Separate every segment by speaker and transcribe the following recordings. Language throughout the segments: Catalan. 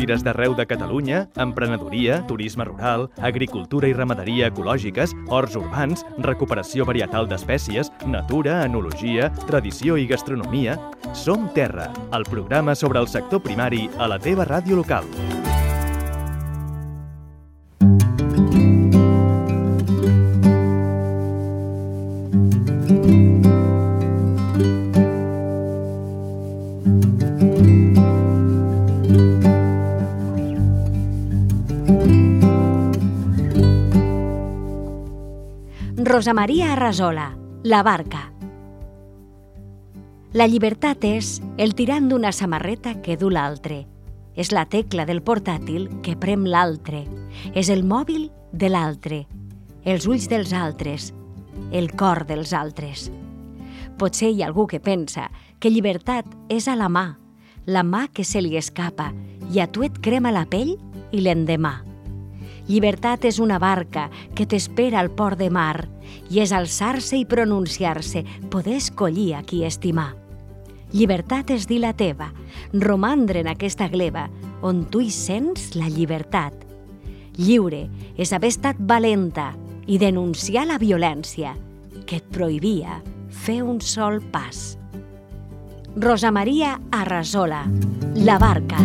Speaker 1: fires d'arreu de Catalunya, emprenedoria, turisme rural, agricultura i ramaderia ecològiques, horts urbans, recuperació varietal d'espècies, natura, enologia, tradició i gastronomia. Som Terra, el programa sobre el sector primari a la teva ràdio local.
Speaker 2: Rosa Maria Arrazola, La barca. La llibertat és el tirant d'una samarreta que du l'altre. És la tecla del portàtil que prem l'altre. És el mòbil de l'altre, els ulls dels altres, el cor dels altres. Potser hi ha algú que pensa que llibertat és a la mà que se li escapa i a tu et crema la pell i l'endemà. Llibertat és una barca que t'espera al port de mar i és alçar-se i pronunciar-se, poder escollir a qui estimar. Llibertat és dir la teva, romandre en aquesta gleba on tu hi sents la llibertat. Lliure és haver estat valenta i denunciar la violència que et prohibia fer un sol pas. Rosa Maria Arrazola, La barca.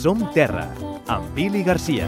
Speaker 1: Som Terra, amb Pili Garcia.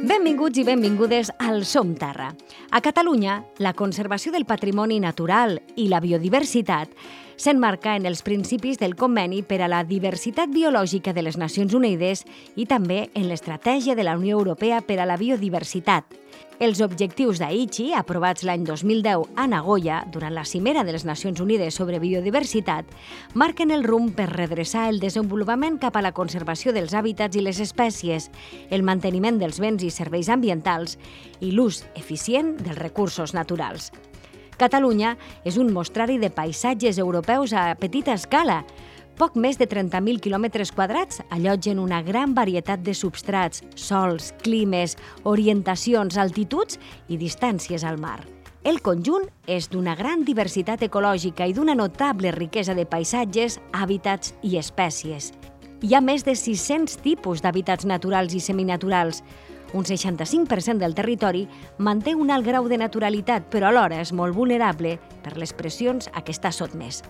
Speaker 2: Benvinguts i benvingudes al Som Terra. A Catalunya, la conservació del patrimoni natural i la biodiversitat s'emmarca en els principis del Conveni per a la Diversitat Biològica de les Nacions Unides i també en l'Estratègia de la Unió Europea per a la Biodiversitat. Els objectius d'Aichi, aprovats l'any 2010 a Nagoya, durant la Cimera de les Nacions Unides sobre Biodiversitat, marquen el rumb per redreçar el desenvolupament cap a la conservació dels hàbitats i les espècies, el manteniment dels béns i serveis ambientals i l'ús eficient dels recursos naturals. Catalunya és un mostrari de paisatges europeus a petita escala. Poc més de 30.000 quilòmetres quadrats allotgen una gran varietat de substrats, sols, climes, orientacions, altituds i distàncies al mar. El conjunt és d'una gran diversitat ecològica i d'una notable riquesa de paisatges, hàbitats i espècies. Hi ha més de 600 tipus d'hàbitats naturals i seminaturals. Un 65% del territori manté un alt grau de naturalitat, però alhora és molt vulnerable per les pressions a què està sotmès.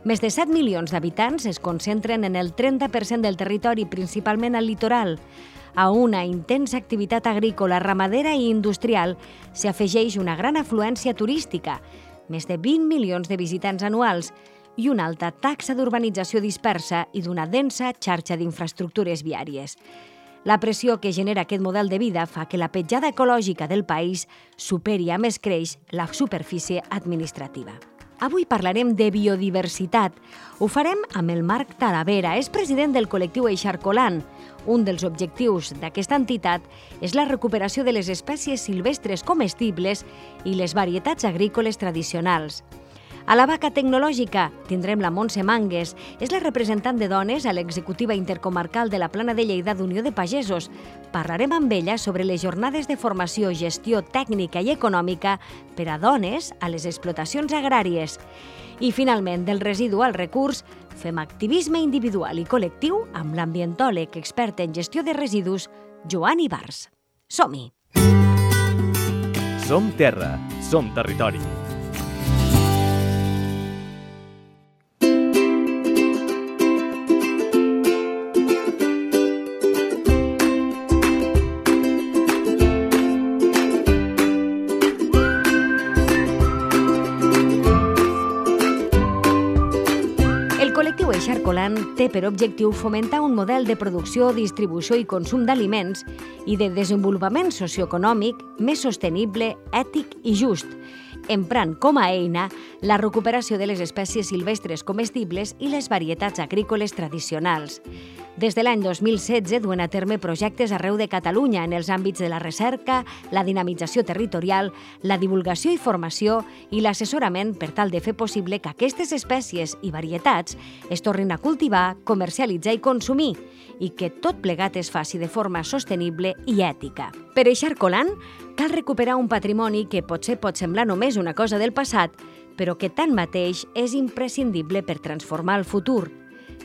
Speaker 2: Més de 7 milions d'habitants es concentren en el 30% del territori, principalment al litoral. A una intensa activitat agrícola, ramadera i industrial s'hi afegeix una gran afluència turística, més de 20 milions de visitants anuals i una alta taxa d'urbanització dispersa i d'una densa xarxa d'infraestructures viàries. La pressió que genera aquest model de vida fa que la petjada ecològica del país superi a més creix la superfície administrativa. Avui parlarem de biodiversitat. Ho farem amb el Marc Talavera, és president del col·lectiu Eixarcolant. Un dels objectius d'aquesta entitat és la recuperació de les espècies silvestres comestibles i les varietats agrícoles tradicionals. A la Vaca Tecnològica tindrem la Montse Mangues, és la representant de dones a l'executiva intercomarcal de la Plana de Lleida d'Unió de Pagesos. Parlarem amb ella sobre les jornades de formació, gestió tècnica i econòmica per a dones a les explotacions agràries. I finalment, del residu al recurs, fem activisme individual i col·lectiu amb l'ambientòleg expert en gestió de residus, Joan Ibars. Som-hi!
Speaker 1: Som Terra, som territori.
Speaker 2: Eixarcolant té per objectiu fomentar un model de producció, distribució i consum d'aliments i de desenvolupament socioeconòmic més sostenible, ètic i just, emprant com a eina la recuperació de les espècies silvestres comestibles i les varietats agrícoles tradicionals. Des de l'any 2016 duen a terme projectes arreu de Catalunya en els àmbits de la recerca, la dinamització territorial, la divulgació i formació i l'assessorament per tal de fer possible que aquestes espècies i varietats es tornin a cultivar, comercialitzar i consumir i que tot plegat es faci de forma sostenible i ètica. Per eixar colant, cal recuperar un patrimoni que potser pot semblar només una cosa del passat, però que tanmateix és imprescindible per transformar el futur.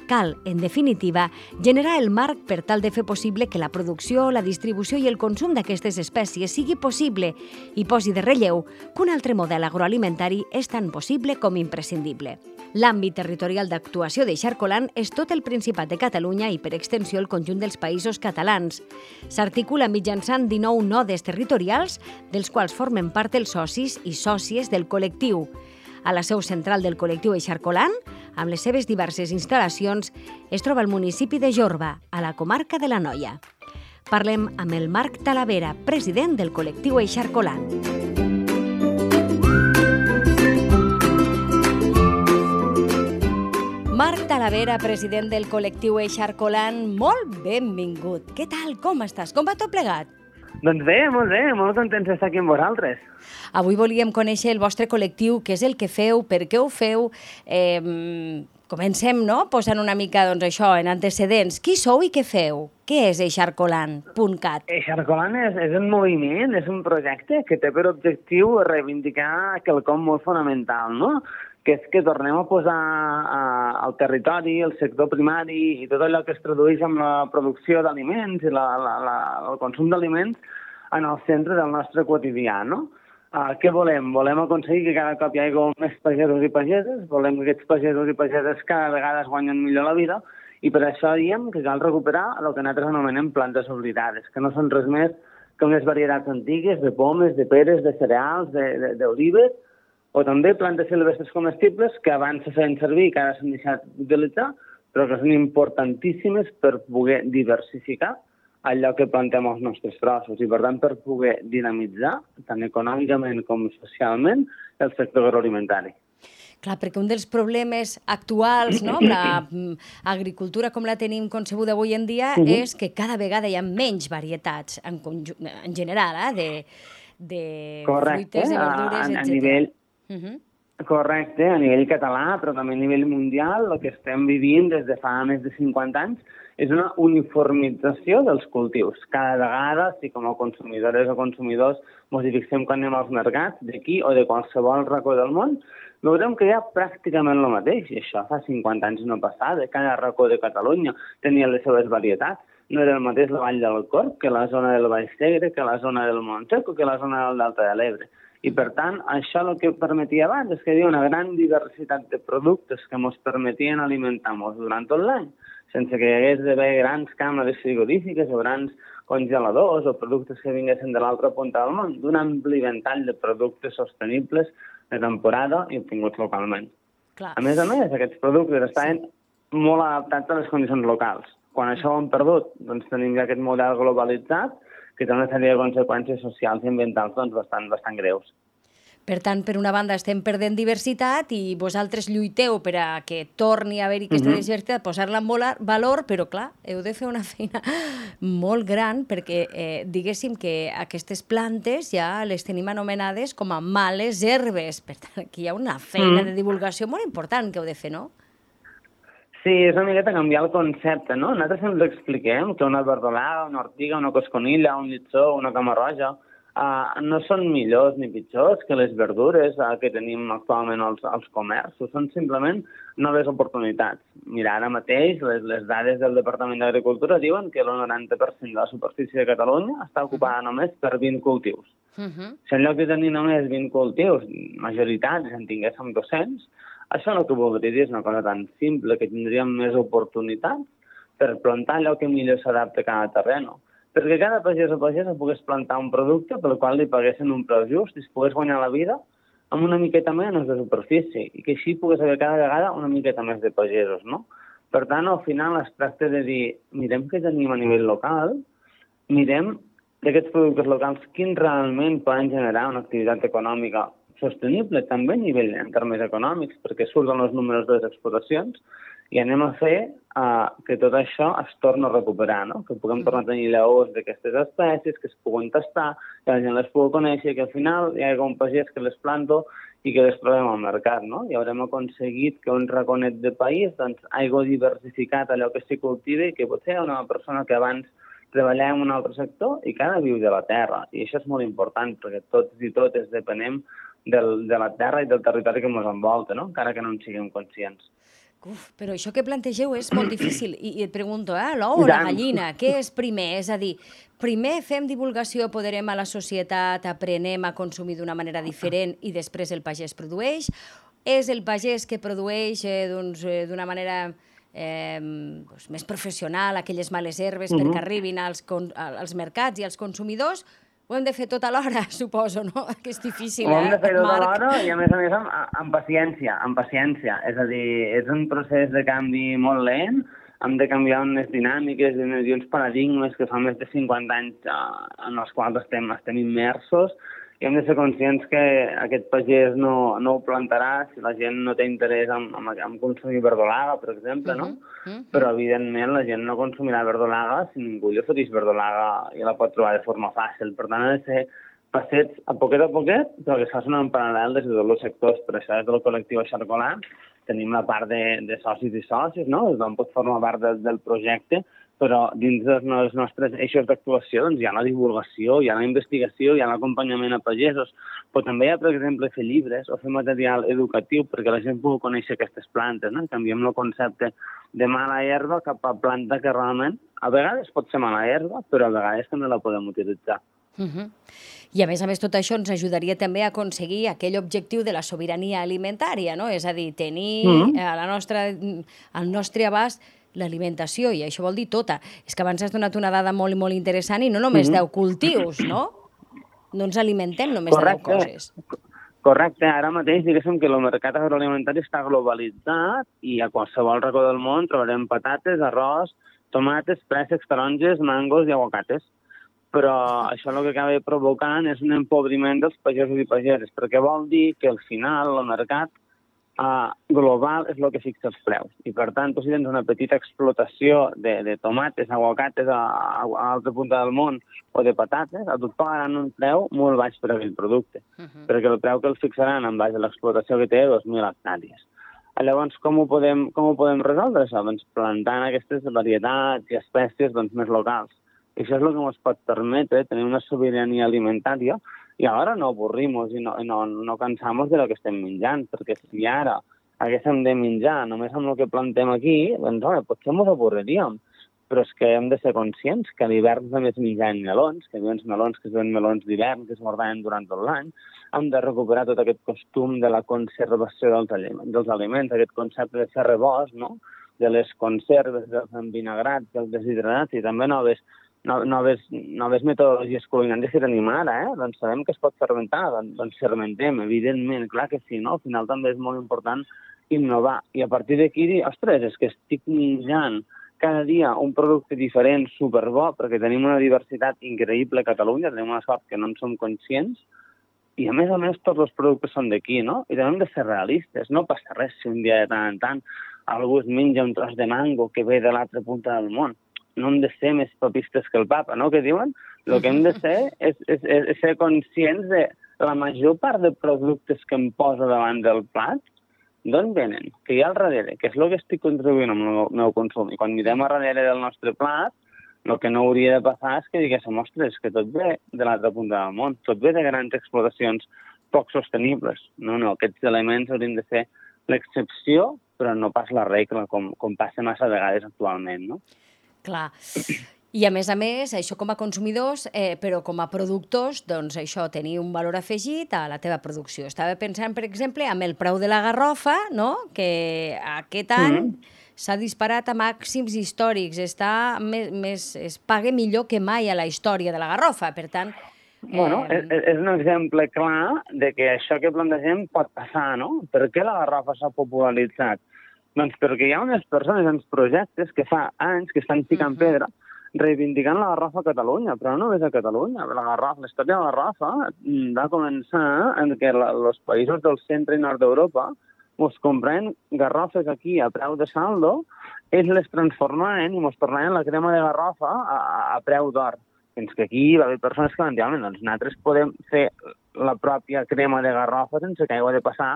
Speaker 2: Cal, en definitiva, generar el marc per tal de fer possible que la producció, la distribució i el consum d'aquestes espècies sigui possible i posi de relleu que un altre model agroalimentari és tan possible com imprescindible. L'àmbit territorial d'actuació d'Eixarcolant és tot el Principat de Catalunya i, per extensió, el conjunt dels països catalans. S'articula mitjançant 19 nodes territorials, dels quals formen part els socis i sòcies del col·lectiu. A la seu central del col·lectiu Eixarcolant, amb les seves diverses instal·lacions, es troba el municipi de Jorba, a la comarca de l'Anoia. Parlem amb el Marc Talavera, president del col·lectiu Eixarcolant. Marc Talavera, president del col·lectiu Eixarcolant, molt benvingut. Què tal? Com estàs? Com va tot plegat?
Speaker 3: Doncs bé, molt contents d'estar aquí amb vosaltres.
Speaker 2: Avui volíem conèixer el vostre col·lectiu, què és el que feu, per què ho feu. Comencem, no?, posant una mica, doncs, això, en antecedents. Qui sou i què feu? Què és Eixarcolant.cat?
Speaker 3: Eixarcolant és un moviment, és un projecte que té per objectiu reivindicar quelcom molt fonamental, no?, que és que tornem a posar al territori, el sector primari i tot allò que es tradueix amb la producció d'aliments i el consum d'aliments en el centre del nostre quotidià, no? Què volem? Volem aconseguir que cada cop hi hagi més pagesos i pageses, volem que aquests pagesos i pageses cada vegada es guanyen millor la vida i per això diem que cal recuperar el que nosaltres anomenem plantes oblidades, que no són res més que unes varietats antigues de pomes, de peres, de cereals, d'olives, o també plantes silvestres comestibles que abans se feien servir i que ara s'han deixat d'utilitzar, però que són importantíssimes per poder diversificar allò que plantem als nostres trossos i, per tant, per poder dinamitzar, tant econòmicament com socialment, el sector agroalimentari.
Speaker 2: Clar, perquè un dels problemes actuals, no?, amb l'agricultura com la tenim concebuda avui en dia, és que cada vegada hi ha menys varietats, en general, de fruites, de verdures, etc.
Speaker 3: Correcte, a nivell català, però també a nivell mundial, el que estem vivint des de fa més de 50 anys és una uniformització dels cultius. Cada vegada, si com a consumidores o consumidors ens hi fixem quan anem als mercats, d'aquí o de qualsevol racó del món, veurem que hi ha pràcticament el mateix. I això fa 50 anys no passava. Cada racó de Catalunya tenia les seves varietats. No era el mateix la Vall del Corb que la zona del Baix Segre, que la zona del Montsec o que la zona del Delta de l'Ebre. I, per tant, això el que permetia abans és que hi havia una gran diversitat de productes que ens permetien alimentar-nos durant tot l'any, sense que hi hagués d'haver grans càmeres frigorífiques o grans congeladors o productes que vinguessin de l'altra punta del món, d'un ampli ventall de productes sostenibles de temporada i obtinguts localment.
Speaker 2: Clar.
Speaker 3: A més, aquests productes estaven molt adaptats a les condicions locals. Quan això ho hem perdut, doncs tenim ja aquest model globalitzat que té una sèrie de conseqüències socials i ambientals doncs, bastant greus.
Speaker 2: Per tant, per una banda estem perdent diversitat i vosaltres lluiteu per a que torni a haver-hi aquesta diversitat, posar-la en valor, però clar, heu de fer una feina molt gran perquè diguéssim que aquestes plantes ja les tenim anomenades com a males herbes. Per tant, aquí hi ha una feina de divulgació molt important que heu de fer, no?
Speaker 3: Sí, és una miqueta canviar el concepte, no? Nosaltres ens expliquem que una verdolaga, una ortiga, una cosconilla, un llitsó, una camarroja, no són millors ni pitjors que les verdures que tenim actualment als comerços, són simplement noves oportunitats. Mira, ara mateix les dades del Departament d'Agricultura diuen que el 90% de la superfície de Catalunya està ocupada només per 20 cultius. Si en lloc de tenir només 20 cultius majoritaris en tinguéssim 200, això el que voldria dir és una cosa tan simple que tindríem més oportunitats per plantar allò que millor s'adapta a cada terreno. Perquè cada pagès o pagesa pogués plantar un producte pel qual li paguessin un preu just i es pogués guanyar la vida amb una miqueta menys de superfície i que així pogués haver cada vegada una miqueta més de pagesos, no? Per tant, al final es tracta de dir, mirem què tenim a nivell local, mirem d'aquests productes locals quins realment poden generar una activitat econòmica sostenible, també a nivell en termes econòmics, perquè surten els números de les explotacions, i anem a fer que tot això es torni a recuperar, no? Que puguem tornar a tenir llavors d'aquestes espècies, que es puguen tastar, que la gent les pugui conèixer, que al final hi hagi un pagès que les planto i que les trobem al mercat, no? I haurem aconseguit que un raconet de país doncs, hagi diversificat allò que s'hi cultiva i que potser hi ha una persona que abans treballava en un altre sector i que ara viu de la terra. I això és molt important, perquè tots i totes depenem de la terra i del territori que ens envolta, no? Encara que no en siguem conscients.
Speaker 2: Uf, però això que plantegeu és molt difícil. I et pregunto, l'ou o la gallina? Què és primer? És a dir, primer fem divulgació, apoderem a la societat, aprenem a consumir d'una manera diferent i després el pagès produeix? És el pagès que produeix d'una manera més professional aquelles males herbes perquè arribin als mercats i als consumidors? Ho hem de fer tot alhora, suposo, no? Que és difícil,
Speaker 3: Ho hem de fer tot alhora i, a més amb paciència, És a dir, és un procés de canvi molt lent, hem de canviar unes dinàmiques i uns paradigmes que fa més de 50 anys en els quals estem immersos, i hem de ser conscients que aquest pagès no ho plantarà si la gent no té interès en consumir verdolaga, per exemple, no? Però, evidentment, la gent no consumirà verdolaga si ningú li ofereix verdolaga i la pot trobar de forma fàcil. Per tant, ha de ser passets a poquet, però que es facin en paral·lel des de tots els sectors. Per això, des del col·lectiu Xarcolar, tenim la part de socis i socis, no? Tothom pot formar part del projecte, però dins dels nostres eixos d'actuació hi ha la divulgació, hi ha la investigació, hi ha l'acompanyament a pagesos, però també hi ha, per exemple, fer llibres o fer material educatiu perquè la gent pugui conèixer aquestes plantes, no? Canviem el concepte de mala herba cap a planta que realment a vegades pot ser mala herba, però a vegades també la podem utilitzar.
Speaker 2: I a més, tot això ens ajudaria també a aconseguir aquell objectiu de la sobirania alimentària, no? És a dir, tenir al nostre abast l'alimentació, i això vol dir tota. És que abans has donat una dada molt, molt interessant i no només 10 cultius, no? No ens alimentem només de 10 coses.
Speaker 3: Correcte. Ara mateix, diguéssim que el mercat agroalimentari està globalitzat i a qualsevol racó del món trobarem patates, arròs, tomates, préssecs, taronges, mangos i aguacates. Però això el que acaba provocant és un empobriment dels pagesos i pageses, perquè vol dir que al final el mercat global és el que fixa els preus. I, per tant, si tens una petita explotació de tomates, aguacates a l'altra punta del món o de patates, a tot pagaran un preu molt baix per aquell producte, perquè el preu que els fixaran en base a l'explotació que té 2.000 hectàrees. Llavors, com ho podem resoldre això? Doncs plantant aquestes varietats i espècies més locals. I això és el que ens pot permetre tenir una sobirania alimentària i alhora no avorrimos i no cansamos de lo que estem menjant, perquè si ara haguéssim de menjar només amb el que plantem aquí, doncs potser ens avorriríem. Però és que hem de ser conscients que a l'hivern també es mengen melons, que hi ha uns melons que són melons d'hivern, que es guardaven durant tot l'any. Hem de recuperar tot aquest costum de la conservació dels aliments, aquest concepte de fer rebost, no? De les conserves, dels envinagrats, dels deshidratats i també noves metodologies culinàries que tenim ara, doncs sabem que es pot fermentar, doncs fermentem, evidentment, clar que sí, no? Al final també és molt important innovar. I a partir d'aquí dir, ostres, és que estic menjant cada dia un producte diferent, superbo, perquè tenim una diversitat increïble a Catalunya, tenim una sort que no en som conscients, i a més tots els productes són d'aquí, no? I també hem de ser realistes, no passa res si un dia de tant en tant algú es menja un tros de mango que ve de l'altra punta del món. No hem de ser més papistes que el papa, no? Que diuen? El que hem de ser és ser conscients de la major part de productes que em poso davant del plat, d'on venen? Que hi ha al darrere? Que és el que estic contribuint amb el meu consum. I quan mirem a darrere del nostre plat, el que no hauria de passar és que diguéssim, ostres, que tot ve de l'altra punta del món, tot ve de grans explotacions poc sostenibles. No, aquests elements haurien de ser l'excepció, però no pas la regla, com passa massa vegades actualment, no?
Speaker 2: Clar. I a més, això com a consumidors, però com a productors, doncs això, tenir un valor afegit a la teva producció. Estava pensant, per exemple, amb el preu de la garrofa, no? Que aquest any s'ha disparat a màxims històrics, es paga millor que mai a la història de la garrofa, per tant...
Speaker 3: És un exemple clar de que això que plantegem pot passar, no? Per què la garrofa s'ha popularitzat? Doncs perquè hi ha unes persones, uns projectes que fa anys que estan ficant pedra reivindicant la garrafa a Catalunya, però no només a Catalunya. La història de la garrafa va començar en què els països del centre i nord d'Europa ens compraven garrafes aquí a preu de saldo, ells les transformaven i ens tornaven la crema de garrafa a preu d'or. Fins que aquí va haver persones que van dir, doncs nosaltres podem fer la pròpia crema de garrafa sense que hagi de passar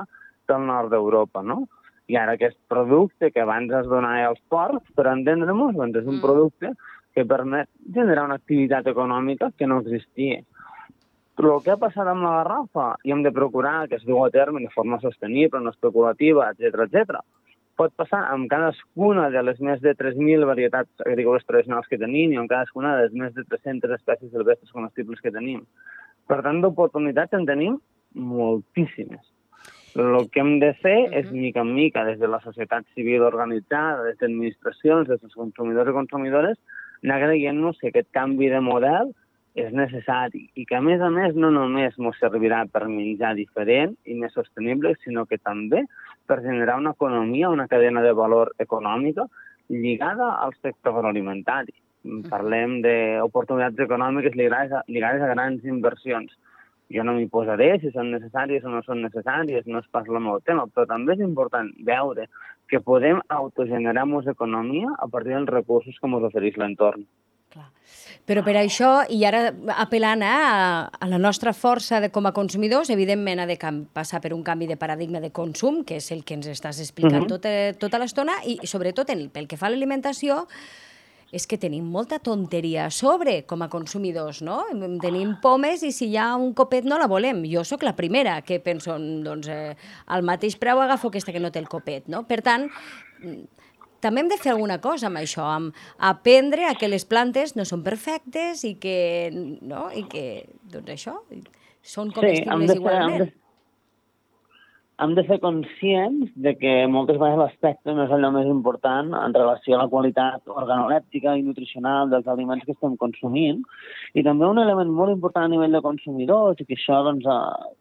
Speaker 3: pel nord d'Europa, no? I ara aquest producte que abans es donava als ports, per entendre-nos, doncs és un producte que permet generar una activitat econòmica que no existia. Però el que ha passat amb la garrafa, i hem de procurar que es dugu a terme de forma sostenible, no especulativa, etc., pot passar amb cadascuna de les més de 3.000 varietats agrícoles tradicionals que tenim i amb cadascuna de les més de 300 espècies silvestres comestibles que tenim. Per tant, d'oportunitats en tenim moltíssimes. El que hem de fer és, mica en mica, des de la societat civil organitzada, des d'administracions, des dels consumidors i consumidores, anar creient-nos que aquest canvi de model és necessari i que, a més, no només ens servirà per menjar diferent i més sostenible, sinó que també per generar una economia, una cadena de valor econòmica lligada al sector agroalimentari. Parlem d'oportunitats econòmiques lligades a grans inversions. Jo no m'hi posaré si són necessàries o no són necessàries, no és pas el meu tema, però també és important veure que podem autogenerar-nos economia a partir dels recursos que ens ofereix l'entorn.
Speaker 2: Però per això, i ara apel·lant a la nostra força com a consumidors, evidentment ha de passar per un canvi de paradigma de consum, que és el que ens estàs explicant tota l'estona, i sobretot pel que fa a l'alimentació, és que tenim molta tonteria a sobre com a consumidors, no? Tenim pomes i si hi ha un copet no la volem. Jo sóc la primera que penso, doncs, al mateix preu agafo aquesta que no té el copet, no? Per tant, també hem de fer alguna cosa amb això, amb aprendre a que les plantes no són perfectes i que, no? I que, doncs això, són comestibles igualment.
Speaker 3: Hem de ser conscients de que moltes vegades l'aspecte no és allò més important en relació a la qualitat organolèptica i nutricional dels aliments que estem consumint. I també un element molt important a nivell de consumidors, i que això doncs,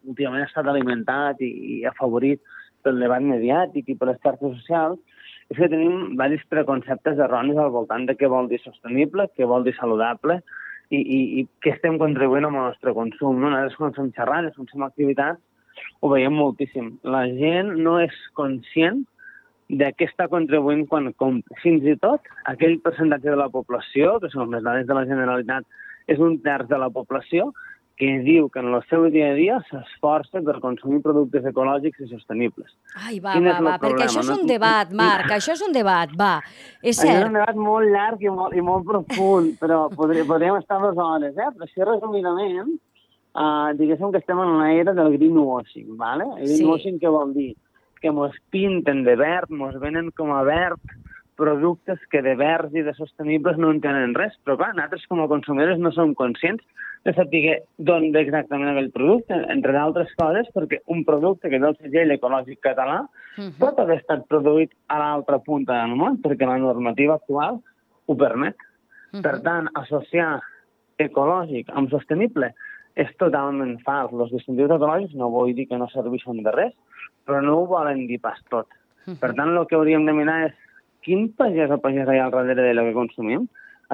Speaker 3: últimament ha estat alimentat i afavorit pel debat mediàtic i per les xarxes socials, és que tenim diversos preconceptes erronis al voltant de què vol dir sostenible, què vol dir saludable i què estem contribuint amb el nostre consum. Nosaltres quan fem xerrades, quan fem activitats, ho veiem moltíssim. La gent no és conscient de què està contribuint quan compra. Fins i tot aquell percentatge de la població, que són les dades de la Generalitat, és un terç de la població que diu que en el seu dia a dia s'esforça per consumir productes ecològics i sostenibles.
Speaker 2: Ai, va, perquè això és un debat, Marc, això és un debat, va. És cert.
Speaker 3: És un debat molt llarg i molt profund, però podríem estar 2 hores, Però així resumidament, diguéssim que estem en l'era del greenwashing, ¿vale? El greenwashing què vol dir? Que ens pinten de verd, ens venen com a verd productes que de verds i de sostenibles no en tenen res, però clar, nosaltres com a consumidors no som conscients de saber d'on ve exactament aquell producte, entre d'altres coses, perquè un producte que té el segell ecològic català pot haver estat produït a l'altra punta del món, perquè la normativa actual ho permet. Per tant, associar ecològic amb sostenible és totalment fals. Els distintius ecològics no vull dir que no serveixen de res, però no ho volen dir pas tot. Per tant, el que hauríem de mirar és quin pagès o pagès hi ha al darrere de lo que consumim.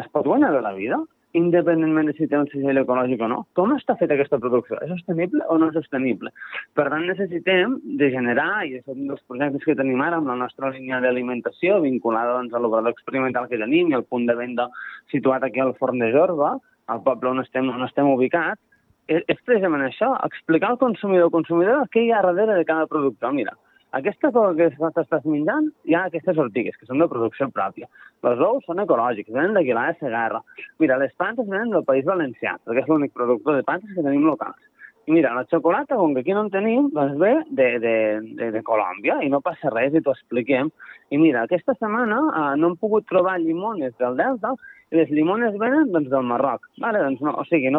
Speaker 3: Es pot guanyar de la vida, independentment de si té un segell ecològic o no? Com està feta aquesta producció? És sostenible o no és sostenible? Per tant, necessitem de generar, i és un dels projectes que tenim ara amb la nostra línia d'alimentació, vinculada doncs, a l'obrador experimental que tenim i al punt de venda situat aquí al Forn de Jorba, al poble on estem ubicats, és precisament això, explicar al consumidor o consumidora què hi ha darrere de cada producte. Mira, aquesta cosa que t'estàs menjant, hi ha aquestes ortigues, que són de producció pròpia. Els ous són ecològics, venen d'Aguilar de Segarra. Mira, les plantes venen del País Valencià, perquè és l'únic productor de plantes que tenim locals. I mira, la xocolata, com que aquí no en tenim, doncs ve de Colòmbia, i no passa res, i t'ho expliquem. I mira, aquesta setmana no hem pogut trobar llimones del Delta, i les llimones venen doncs, del Marroc. Vale? Doncs no, o sigui,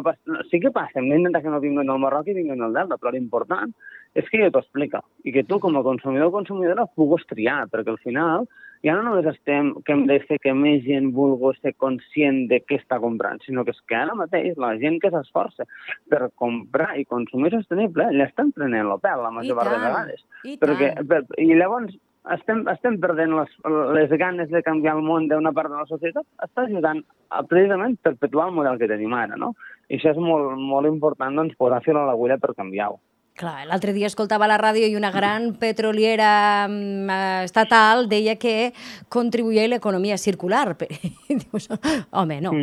Speaker 3: sí que passa, hem d'intentar que no vinguen del Marroc i vinguen del Delta, però l'important és que jo t'ho explica i que tu, com a consumidor o consumidora, puguis triar, perquè al final ja no només que hem de fer que més gent vulgui ser conscient de què està comprant, sinó que és que ara mateix la gent que s'esforça per comprar i consumir sostenible l'estan prenent el pèl la major part de vegades. I llavors estem perdent les ganes de canviar el món d'una part de la societat, està ajudant a precisament perpetuar el model que tenim ara, no? I això és molt, molt important, doncs, posar fil a l'agulla per canviar-ho.
Speaker 2: Clar, l'altre dia escoltava a la ràdio i una gran petroliera estatal deia que contribuïa a l'economia circular. Dius, home, no.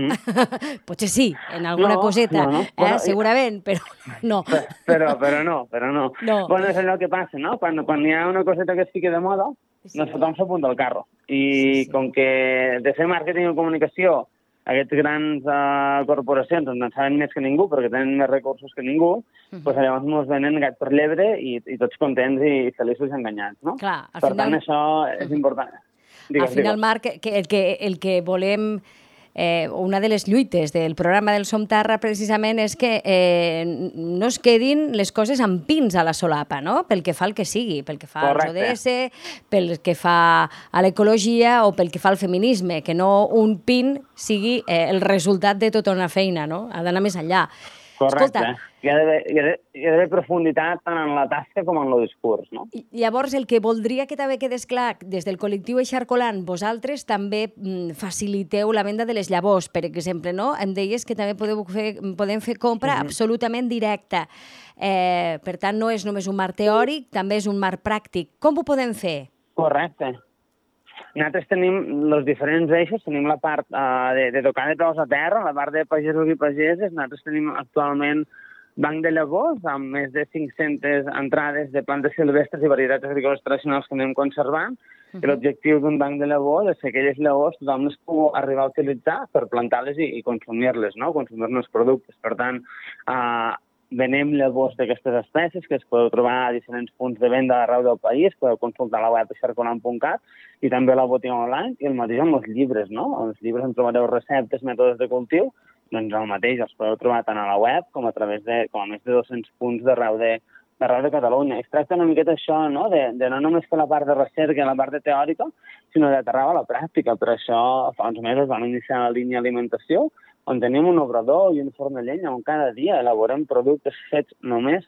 Speaker 2: Potser sí, en alguna coseta, bueno, segurament, però no.
Speaker 3: Però no. Bueno, és allò que passa, no? Quan hi ha una coseta que es fica de moda, doncs tothom s'apunta al carro. I com que de fer màrqueting i comunicació aquestes grans corporacions en saben més que ningú perquè tenen més recursos que ningú, doncs llavors ens venen gat per llebre i tots contents i feliços i enganyats, no?
Speaker 2: Clar,
Speaker 3: per tant, això és important.
Speaker 2: Al final, Marc, el que volem... Una de les lluites del programa del Som Terra precisament és que no es quedin les coses amb pins a la solapa, no? Pel que fa al que sigui, pel que fa als ODS, pel que fa a l'ecologia o pel que fa al feminisme, que no un pin sigui el resultat de tota una feina, no? Ha d'anar més enllà.
Speaker 3: Correcte. Hi ha d'haver profunditat tant en la tasca com en el discurs, no?
Speaker 2: Llavors, el que voldria que també quedés clar, des del col·lectiu Eixarcolant, vosaltres també faciliteu la venda de les llavors, per exemple, no? Em deies que també podem fer compra absolutament directa. Per tant, no és només un marc teòric, també és un marc pràctic. Com ho podem fer?
Speaker 3: Correcte. Nosaltres tenim els diferents eixos, tenim la part de tocar de peus a terra, la part de pagesos i pageses. Nosaltres tenim actualment banc de llavors, amb més de 500 entrades de plantes silvestres i varietats agrícoles tradicionals que anem conservant. I l'objectiu d'un banc de llavors és que aquelles llavors tothom les pugui arribar a utilitzar per plantar-les i consumir-les, no? Consumir-ne els productes. Per tant, venem llavors d'aquestes espècies que es podeu trobar a diferents punts de venda arreu del país, podeu consultar la web eixarcolant.cat i també la botiga online, i el mateix amb els llibres, no? Els llibres en trobareu receptes, mètodes de cultiu, doncs el mateix, els podeu trobar tant a la web com a través de més de 200 punts d'arreu de Catalunya. Es tracta una miqueta això, no? De no només fer la part de recerca i la part de teòrica, sinó d'aterrar a la pràctica. Per això fa uns mesos vam iniciar la línia alimentació, on tenim un obrador i un forn de llenya on cada dia elaborem productes fets només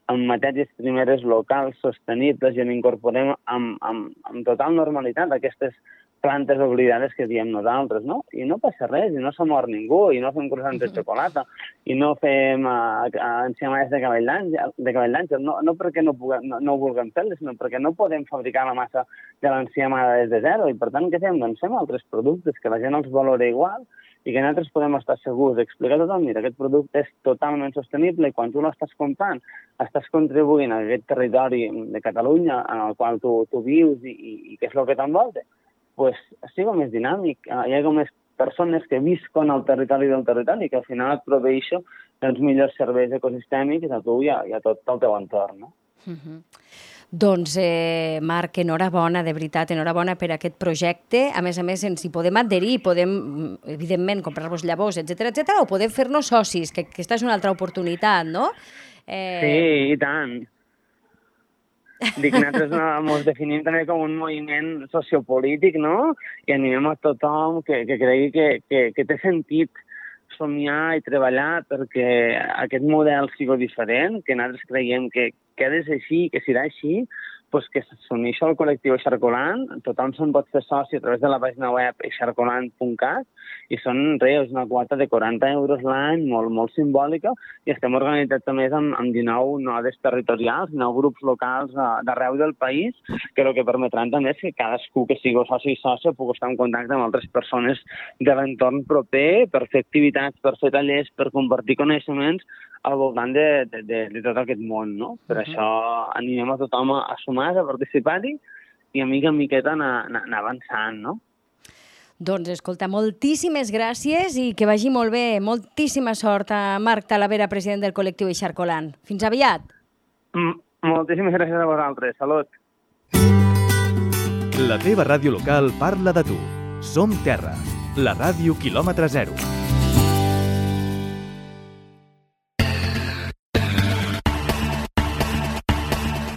Speaker 3: amb matèries primeres locals, sostenibles, i en incorporem amb total normalitat aquestes plantes oblidades que diem nosaltres, no? I no passa res, i no se mor ningú, i no fem croissants de xocolata, i no fem enciamades de cavall d'àngel, no perquè no vulguem fer-les, sinó perquè no podem fabricar la massa de l'enciamada des de zero, i per tant, què fem? Doncs fem altres productes que la gent els valora igual, i que nosaltres podem estar segurs d'explicar a tothom, mira, aquest producte és totalment sostenible i quan tu l'estàs comprant estàs contribuint a aquest territori de Catalunya en el qual tu vius i que és el que t'envolta, doncs sigui més dinàmic, hi ha més persones que visquen al territori del territori i que al final et proveeixen els millors serveis ecosistèmics a tu i a tot el teu entorn, no?
Speaker 2: Doncs, Marc, enhorabona, de veritat, enhorabona per aquest projecte. A més, ens hi podem adherir, podem, evidentment, comprar-vos llavors, etc, o podem fer-nos socis, que aquesta és una altra oportunitat, no?
Speaker 3: Sí, i tant. Dic, nosaltres ens definim també com un moviment sociopolític, no? I animem a tothom que cregui que té sentit somiar i treballar perquè aquest model sigui diferent, que nosaltres creiem que ha de ser així, que serà així, doncs que s'uneixi al col·lectiu Eixarcolant, tothom se'n pot fer soci a través de la pàgina web eixarcolant.cat, i són una quota de 40 euros l'any, molt simbòlica, i estem organitzats també amb 19 nodes territorials, 9 grups locals d'arreu del país, que el que permetran també és que cadascú que sigui soci i sòcia pugui estar en contacte amb altres persones de l'entorn proper, per fer activitats, per fer tallers, per compartir coneixements al voltant de tot aquest món, no? Per això animem a tothom a sumar, a participar-hi i a mica en miqueta anar avançant, no?
Speaker 2: Doncs, escolta, moltíssimes gràcies i que vagi molt bé. Moltíssima sort a Marc Talavera, president del col·lectiu Eixarcolant. Fins aviat.
Speaker 3: Moltíssimes gràcies a vosaltres. Salut.
Speaker 1: La teva ràdio local parla de tu. Som Terra, la ràdio quilòmetre zero.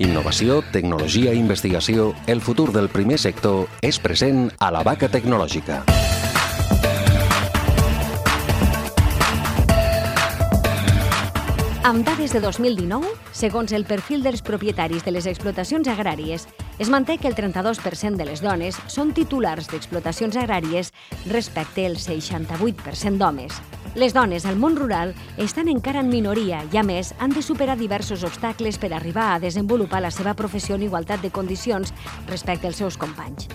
Speaker 4: Innovació, tecnologia i investigació, el futur del primer sector és present a la Vaca Tecnològica.
Speaker 2: Amb dades de 2019, segons el perfil dels propietaris de les explotacions agràries Es manté que el 32% de les dones són titulars d'explotacions agràries respecte al 68% d'homes. Les dones al món rural estan encara en minoria i, a més, han de superar diversos obstacles per arribar a desenvolupar la seva professió en igualtat de condicions respecte als seus companys.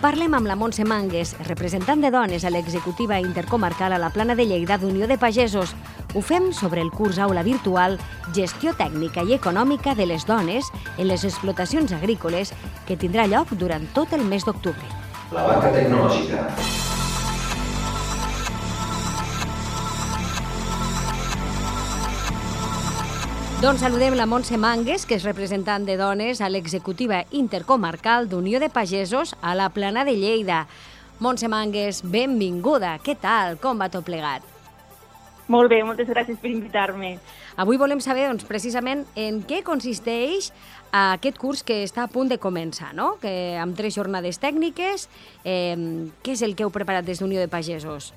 Speaker 2: Parlem amb la Montse Mangues, representant de dones a l'executiva intercomarcal a la Plana de Lleida d'Unió de Pagesos. Ho fem sobre el curs aula virtual Gestió tècnica i econòmica de les dones en les explotacions agrícoles que tindrà lloc durant tot el mes d'octubre.
Speaker 4: La banca tecnològica.
Speaker 2: Doncs saludem la Montse Mangues, que és representant de dones a l'executiva intercomarcal d'Unió de Pagesos a la Plana de Lleida. Montse Mangues, benvinguda. Què tal? Com va tot plegat?
Speaker 5: Molt bé, moltes gràcies per invitar-me.
Speaker 2: Avui volem saber, doncs, precisament en què consisteix aquest curs que està a punt de començar, no? Que amb 3 jornades tècniques, què és el que heu preparat des d'Unió de Pagesos?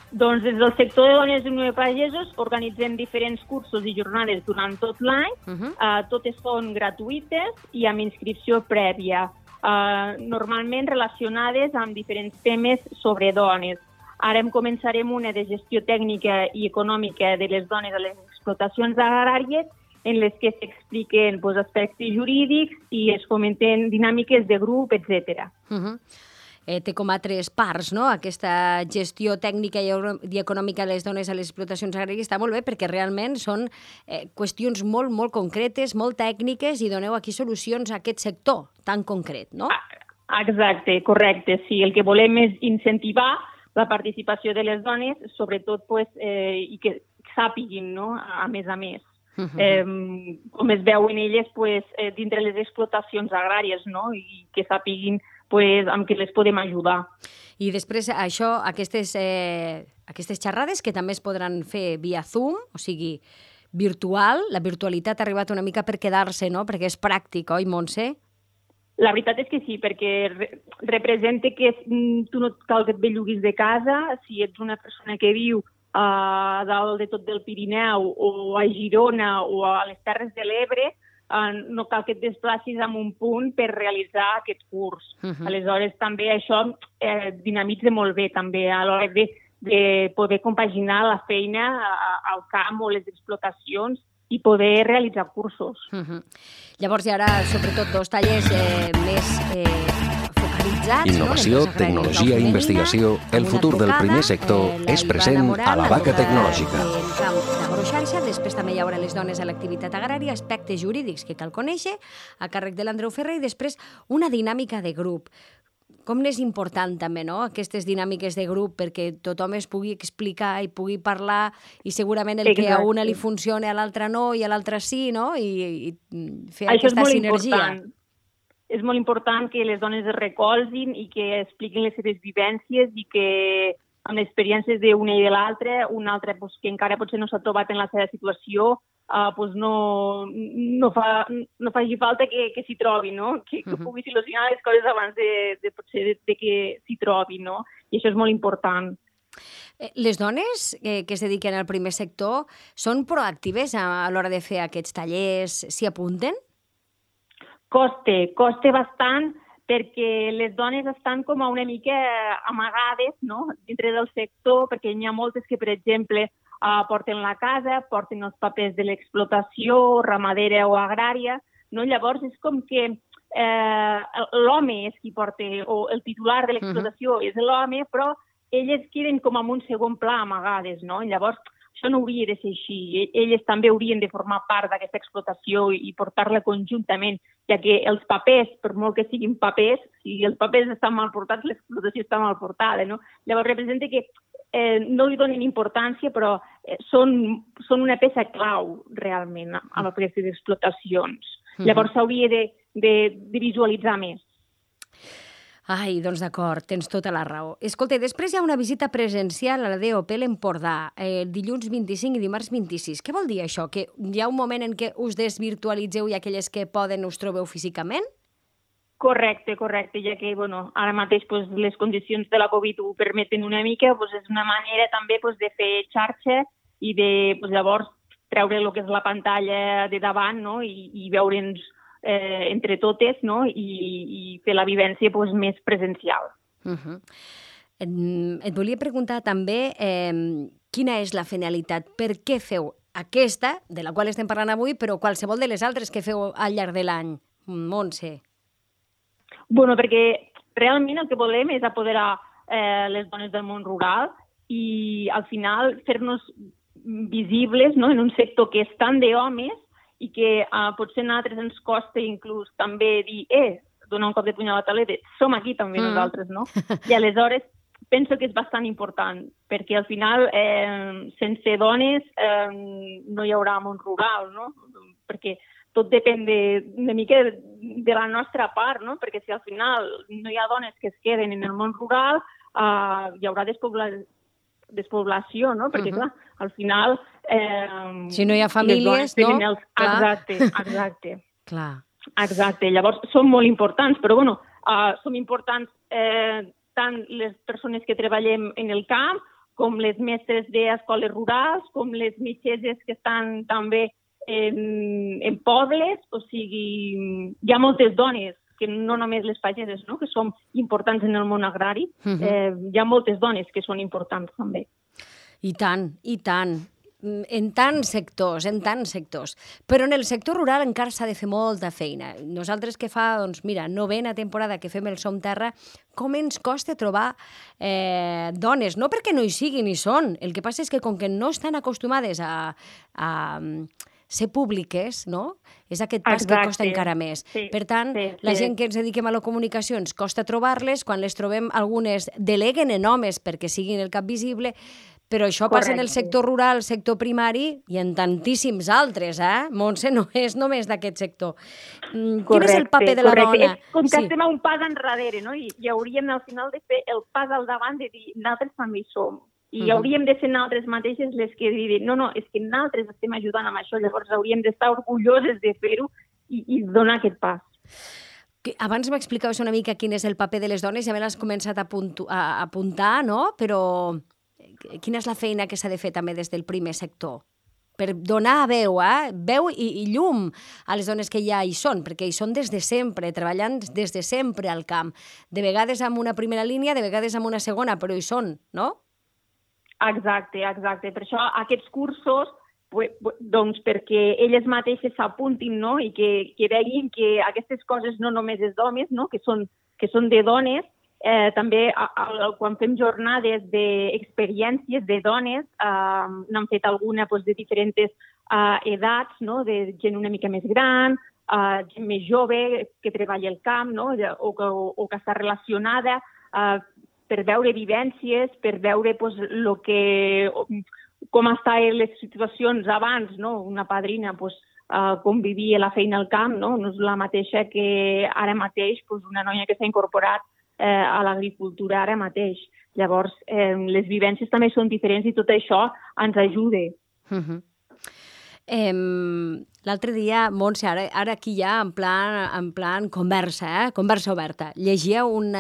Speaker 5: Doncs des del sector de dones d'Unió de Pagesos organitzem diferents cursos i jornades durant tot l'any. Totes són gratuïtes i amb inscripció prèvia, normalment relacionades amb diferents temes sobre dones. Ara començarem una de gestió tècnica i econòmica de les dones a les explotacions agràries, en les que s'expliquen aspectes jurídics i es fomenten dinàmiques de grup, etc.
Speaker 2: Té com a 3 parts, no?, aquesta gestió tècnica i econòmica de les dones a les explotacions agràries. Està molt bé perquè realment són qüestions molt, molt concretes, molt tècniques i doneu aquí solucions a aquest sector tan concret, no?
Speaker 5: Exacte, correcte. Sí, el que volem és incentivar la participació de les dones, sobretot i que sàpiguin, no?, a més. Com es veuen elles dintre les explotacions agràries, no?, i que sàpiguin amb què les podem ajudar.
Speaker 2: I després això, aquestes xerrades que també es podran fer via Zoom, o sigui, virtual, la virtualitat ha arribat una mica per quedar-se, no?, perquè és pràctic, oi, Montse?
Speaker 5: La veritat és que sí, perquè representa que tu no cal que et belluguis de casa. Si ets una persona que viu a dalt de tot del Pirineu o a Girona o a les Terres de l'Ebre, no cal que et desplacis a un punt per realitzar aquest curs. Aleshores, també això dinamitza molt bé també a l'hora de poder compaginar la feina al camp o les explotacions i poder realitzar cursos.
Speaker 2: Llavors hi haurà, sobretot, 2 tallers més focalitzats.
Speaker 4: Innovació, tecnologia i investigació. El futur del primer sector és present a la banca tecnològica.
Speaker 2: En camp d'agroxarxa, després també hi haurà les dones a l'activitat agrària, aspectes jurídics que cal conèixer, a càrrec de l'Andreu Ferrer, i després una dinàmica de grup. Com n'és important també, no?, aquestes dinàmiques de grup perquè tothom es pugui explicar i pugui parlar i segurament el que a una li funciona a l'altra no i a l'altra sí, no?, i fer aquesta sinergia.
Speaker 5: És molt important que les dones es recolzin i que expliquin les seves vivències i que amb les experiències d'una i de l'altra, una altra que encara potser no s'ha trobat en la seva situació, no faci falta que s'hi trobi, no? Que pugui solucionar les coses abans de que s'hi trobi, no? I això és molt important.
Speaker 2: Les dones que es dediquen al primer sector són proactives a l'hora de fer aquests tallers? S'hi apunten?
Speaker 5: Costa bastant, perquè les dones estan com una mica amagades, no?, dintre del sector, perquè n'hi ha moltes que, per exemple, porten la casa, porten els papers de l'explotació ramadera o agrària, no? Llavors és com que l'home és qui porta, o el titular de l'explotació és l'home, però elles queden com en un segon pla amagades, no? Llavors això no hauria de ser així. Elles també haurien de formar part d'aquesta explotació i portar-la conjuntament, ja que els papers, per molt que siguin papers, si els papers estan mal portats, l'explotació està mal portada, no? Llavors representa que no li donen importància, però són una peça clau, realment, a aquestes explotacions. Llavors s'hauria de visualitzar més.
Speaker 2: Ai, doncs d'acord, tens tota la raó. Escolta, després hi ha una visita presencial a la DOP l'Empordà, dilluns 25 i dimarts 26. Què vol dir això? Que hi ha un moment en què us desvirtualitzeu i aquelles que poden us trobeu físicament?
Speaker 5: Correcte, ja que ara mateix les condicions de la Covid ho permeten una mica, és una manera també de fer xarxa i de llavors treure el que és la pantalla de davant, no? I veure'ns entre totes, no? I fer la vivència pues, més presencial.
Speaker 2: Et volia preguntar també quina és la finalitat, per què feu aquesta, de la qual estem parlant avui, però qualsevol de les altres que feu al llarg de l'any, Montse?
Speaker 5: Bueno, perquè realment el que volem és apoderar les dones del món rural i al final fer-nos visibles, no?, en un sector que és tant d'homes i que potser a nosaltres ens costa inclús també dir donar un cop de puny a la taula, som aquí també nosaltres, no? I aleshores penso que és bastant important, perquè al final sense dones no hi haurà món rural, no? Perquè tot depèn una mica de la nostra part, no? Perquè si al final no hi ha dones que es queden en el món rural, hi haurà despoblació, no? Perquè, clar, al final...
Speaker 2: si no hi ha famílies, no?
Speaker 5: Exacte.
Speaker 2: Clar.
Speaker 5: Exacte. Llavors, són molt importants, però, bueno, som importants tant les persones que treballem en el camp, com les mestres d'escoles rurals, com les metgesses que estan també en pobles, o sigui, hi ha moltes dones, que no només les pageses, no?, que són importants en el món agrari, hi ha moltes dones que són importants també.
Speaker 2: I tant, i tant. En tants sectors. Però en el sector rural encara s'ha de fer molta feina. Nosaltres que fa, doncs mira, 9a temporada que fem el Som Terra, com ens costa trobar dones? No perquè no hi siguin, hi són. El que passa és que com que no estan acostumades a ser públiques, no? És aquest pas que costa encara més. Per tant, la gent que ens dediquem a la comunicació ens costa trobar-les, quan les trobem algunes deleguen en homes perquè siguin el cap visible, però això passa en el sector rural, el sector primari i en tantíssims altres, Montse, no és només d'aquest sector. Quin és el paper de la dona?
Speaker 5: Com que estem a un pas enrere, no? I hauríem al final de fer el pas al davant de dir nosaltres també hi som. I hauríem de ser nosaltres mateixes les que diuen no, és que nosaltres estem ajudant amb això, llavors hauríem d'estar orgulloses de fer-ho i donar aquest pas.
Speaker 2: Abans m'explicaves una mica quin és el paper de les dones, ja me l'has començat a apuntar, no? Però quina és la feina que s'ha de fer també des del primer sector? Per donar veu i llum a les dones que ja hi són, perquè hi són des de sempre, treballant des de sempre al camp. De vegades amb una primera línia, de vegades amb una segona, però hi són, no?
Speaker 5: Exacte. Per això aquests cursos, doncs perquè elles mateixes s'apuntin, no?, i que veguin que aquestes coses no només és d'homes, no?, que són de dones. També quan fem jornades d'experiències de dones, n'han fet alguna de diferents edats, no?, de gent una mica més gran, gent més jove que treballa al camp, no?, o que està relacionada, per veure vivències, per veure com estaven les situacions abans, no? Una padrina com vivia la feina al camp, no és la mateixa que ara mateix una noia que s'ha incorporat a l'agricultura ara mateix. Llavors, les vivències també són diferents i tot això ens ajuda.
Speaker 2: L'altre dia, Montse, ara aquí ja en plan conversa, conversa oberta, llegia un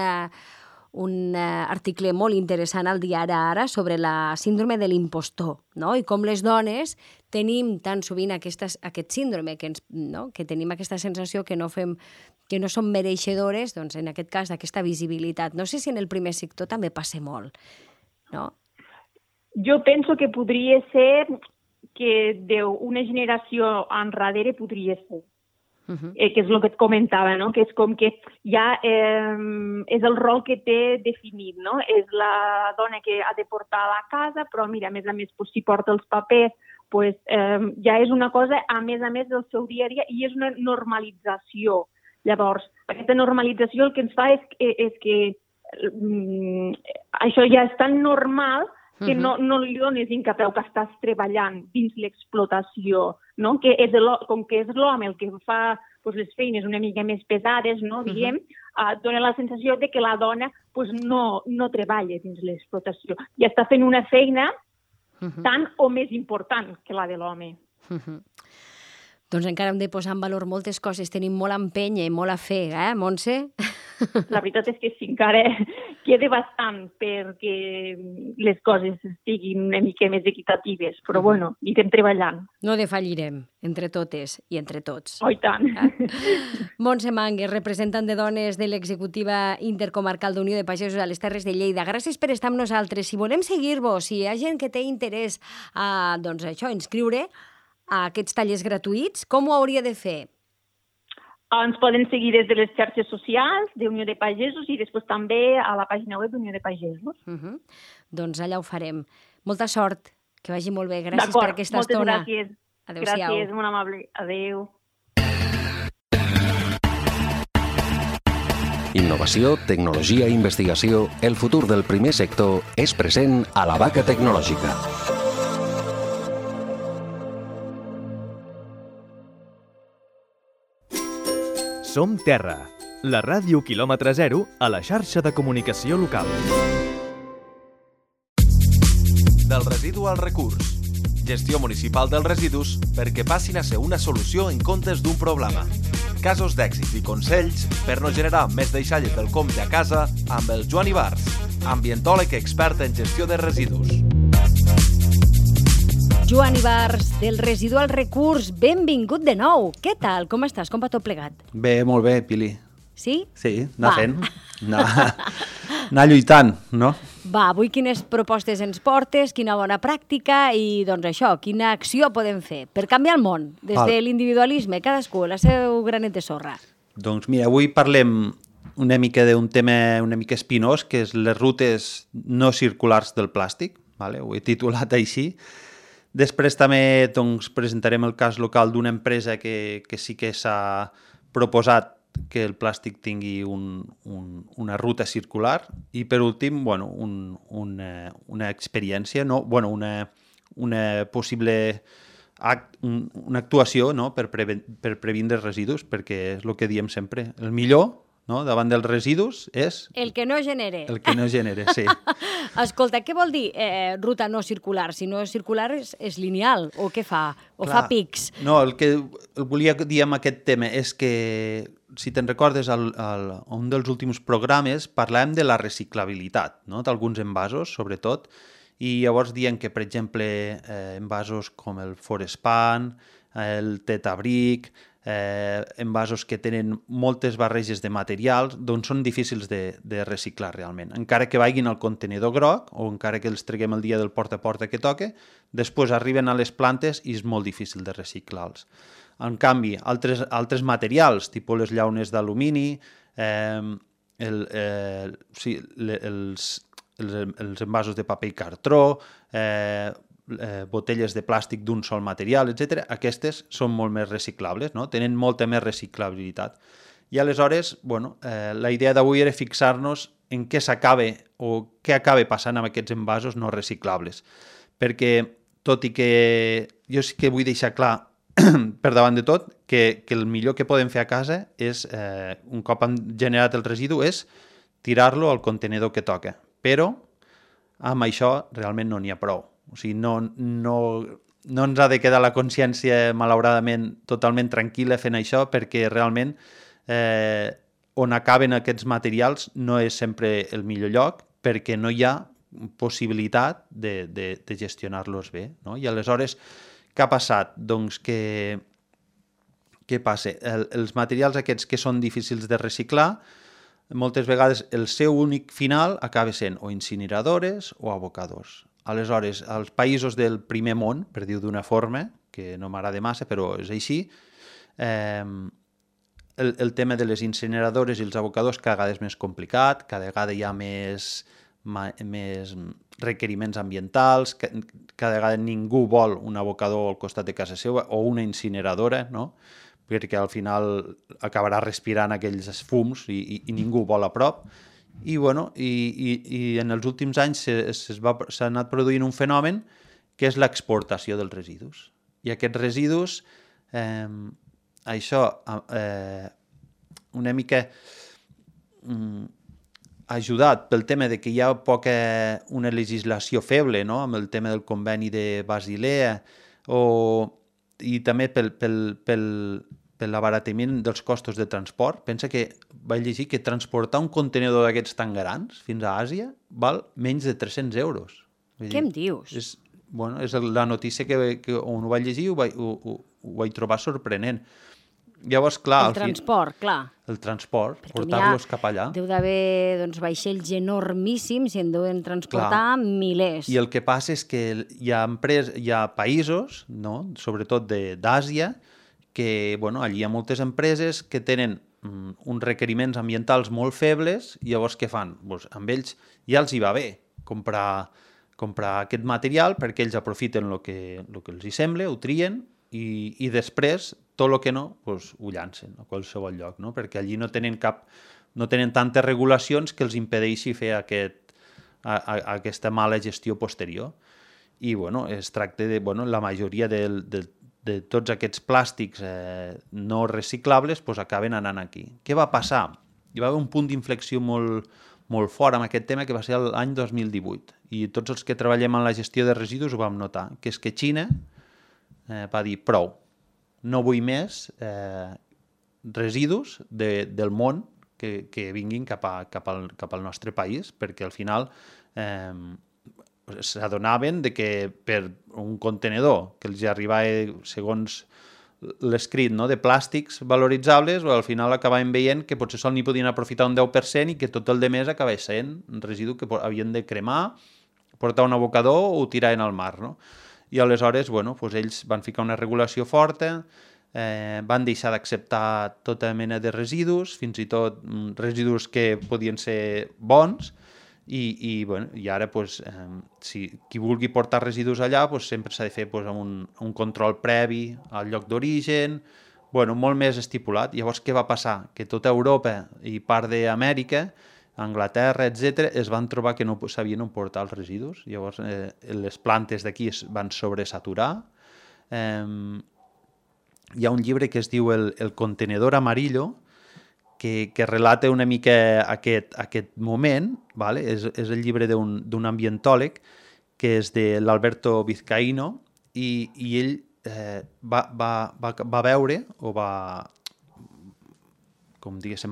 Speaker 2: article molt interessant al diari Ara sobre la síndrome de l'impostor, no? I com les dones tenim tan sovint aquest síndrome, que tenim aquesta sensació que no som mereixedores, doncs en aquest cas d'aquesta visibilitat. No sé si en el primer sector també passa molt, no?
Speaker 5: Jo penso que podria ser que d'una generació enrere podria ser. Que és el que et comentava, no? Que és com que ja és el rol que té definit, no? És la dona que ha de portar a la casa, però mira, a més, si porta els papers, ja és una cosa, a més del seu dia a dia, i és una normalització. Llavors, aquesta normalització el que ens fa és que això ja és tan normal que no li dones incapeu que estàs treballant dins l'explotació, no? Com que és l'home el que fa les feines una mica més pesades, no? Diguem, dona la sensació de que la dona no treballa dins l'explotació i està fent una feina tan o més important que la de l'home.
Speaker 2: Doncs encara hem de posar en valor moltes coses, tenim molt a empènyer i molt a fer, Montse?
Speaker 5: La veritat és que sí, encara queda bastant perquè les coses estiguin una mica més equitatives, però bueno, hi estem treballant.
Speaker 2: No defallirem, entre totes i entre tots.
Speaker 5: Oh, i tant.
Speaker 2: Montse Mangues, representant de dones de l'executiva intercomarcal d'Unió de Pagesos a les Terres de Lleida. Gràcies per estar amb nosaltres. Si volem seguir-vos, si hi ha gent que té interès a, doncs això, inscriure a aquests tallers gratuïts, com ho hauria de fer?
Speaker 5: Ens poden seguir des de les xarxes socials d'Unió de Pagesos i després també a la pàgina web d'Unió de Pagesos.
Speaker 2: Doncs allà ho farem. Molta sort, que vagi molt bé. Gràcies per aquesta estona.
Speaker 5: Moltes gràcies.
Speaker 2: Adéu-siau.
Speaker 5: Gràcies, molt amable. Adéu.
Speaker 4: Innovació, tecnologia i investigació, el futur del primer sector és present a la Vaca Tecnològica.
Speaker 1: Som Terra, la ràdio quilòmetre zero a la xarxa de comunicació local.
Speaker 6: Del residu al recurs. Gestió municipal dels residus perquè passin a ser una solució en comptes d'un problema. Casos d'èxit i consells per no generar més deixalles del compte a casa amb el Joan Ibars, ambientòleg expert en gestió de residus.
Speaker 2: Joan Ibars, del residu al recurs, benvingut de nou. Què tal? Com estàs? Com va tot plegat?
Speaker 7: Bé, molt bé, Pili.
Speaker 2: Sí?
Speaker 7: Sí, anar fent. Anar lluitant, no?
Speaker 2: Va, avui quines propostes ens portes, quina bona pràctica i, doncs això, quina acció podem fer per canviar el món, des de l'individualisme, cadascú, la seu granet de sorra.
Speaker 7: Doncs mira, avui parlem una mica d'un tema una mica espinós, que és les rutes no circulars del plàstic, vale? Ho he titulat així. Després també doncs, presentarem el cas local d'una empresa que sí que s'ha proposat que el plàstic tingui una ruta circular i per últim bueno, una experiència, no? Bueno, una possible una actuació, no? per previndre residus, perquè és el que diem sempre, el millor, no? Davant dels residus és...
Speaker 2: El que no genere.
Speaker 7: El que no genere, sí.
Speaker 2: Escolta, què vol dir ruta no circular? Si no és circular és lineal, o què fa? O clar, fa pics?
Speaker 7: No, el que volia dir amb aquest tema és que, si te'n recordes, un dels últims programes parlàvem de la reciclabilitat, no? D'alguns envasos, sobretot, i llavors diem que, per exemple, envasos com el Forespan, el Tetabric, envasos que tenen moltes barreges de materials, doncs són difícils de reciclar realment. Encara que vagin al contenidor groc o encara que els treguem el dia del porta a porta que toque, després arriben a les plantes i és molt difícil de reciclar-los. En canvi, altres materials, tipus les llaunes d'alumini, els envasos de paper i cartró, botelles de plàstic d'un sol material, etc. Aquestes són molt més reciclables, no? Tenen molta més reciclabilitat. I aleshores, bueno, la idea d'avui era fixar-nos en què s'acaba o què acaba passant amb aquests envasos no reciclables. Perquè, tot i que jo sí que vull deixar clar, per davant de tot, que el millor que podem fer a casa és, un cop han generat el residu, és tirar-lo al contenidor que toca. Però amb això realment no n'hi ha prou. O sigui, no ens ha de quedar la consciència, malauradament, totalment tranquil·la fent això, perquè realment on acaben aquests materials no és sempre el millor lloc, perquè no hi ha possibilitat de gestionar-los bé, no? I aleshores, què ha passat? Doncs què passa? Els materials aquests que són difícils de reciclar, moltes vegades el seu únic final acaba sent o incineradores o abocadors. Aleshores, als països del primer món, per dir-ho d'una forma, que no m'agrada massa, però és així, el tema de les incineradores i els abocadors cada vegada és més complicat, cada vegada hi ha més requeriments ambientals, cada vegada ningú vol un abocador al costat de casa seva o una incineradora, no? Perquè al final acabarà respirant aquells fums i ningú vol a prop. I en els últims anys s'ha anat produint un fenomen que és l'exportació dels residus. I aquests residus, això una mica ajudat pel tema de que hi ha una legislació feble, no? Amb el tema del conveni de Basilea, o i també per l'abaratiment dels costos de transport. Pensa que vaig llegir que transportar un contenidor d'aquests tan grans fins a Àsia val menys de 300 euros.
Speaker 2: Què em dius?
Speaker 7: És la notícia que on ho vaig llegir ho vaig trobar sorprenent. Llavors, clar...
Speaker 2: El transport, clar.
Speaker 7: El transport, portar-los cap allà.
Speaker 2: Deu d'haver vaixells enormíssims i en deuen transportar milers.
Speaker 7: I el que passa és que hi ha països, no? Sobretot d'Àsia, que allí hi ha moltes empreses que tenen uns requeriments ambientals molt febles i llavors què fan? Amb ells ja els hi va bé comprar aquest material perquè ells aprofiten el que els hi sembla, ho trien i després tot el que no, ho llancen a qualsevol lloc, no? Perquè allí no tenen tantes regulacions que els impedeixi fer aquesta mala gestió posterior. I es tracta de la majoria de tots aquests plàstics no reciclables acaben anant aquí. Què va passar? Hi va haver un punt d'inflexió molt fort amb aquest tema que va ser l'any 2018 i tots els que treballem en la gestió de residus ho vam notar, que és que Xina va dir prou, no vull més residus del món que vinguin cap al nostre país, perquè al final s'adonaven que per un contenedor que els arribava segons l'escrit de plàstics valoritzables, al final acabaven veient que potser sol n'hi podien aprofitar un 10% i que tot el demés acabava sent un residu que havien de cremar, portar a un abocador o tiraven al mar, no? I aleshores, ells van ficar una regulació forta, van deixar d'acceptar tota mena de residus, fins i tot residus que podien ser bons, i ara, si qui vulgui portar residus allà, sempre s'ha de fer amb un control previ al lloc d'origen, molt més estipulat. Llavors, què va passar? Que tota Europa i part d'Amèrica, Anglaterra, etc., es van trobar que no sabien on portar els residus. Llavors, les plantes d'aquí es van sobresaturar. Hi ha un llibre que es diu El contenedor amarillo, que relata una mica aquest moment, ¿vale? És el llibre d'un ambientòleg, que és de l'Alberto Vizcaíno, i ell va veure, o va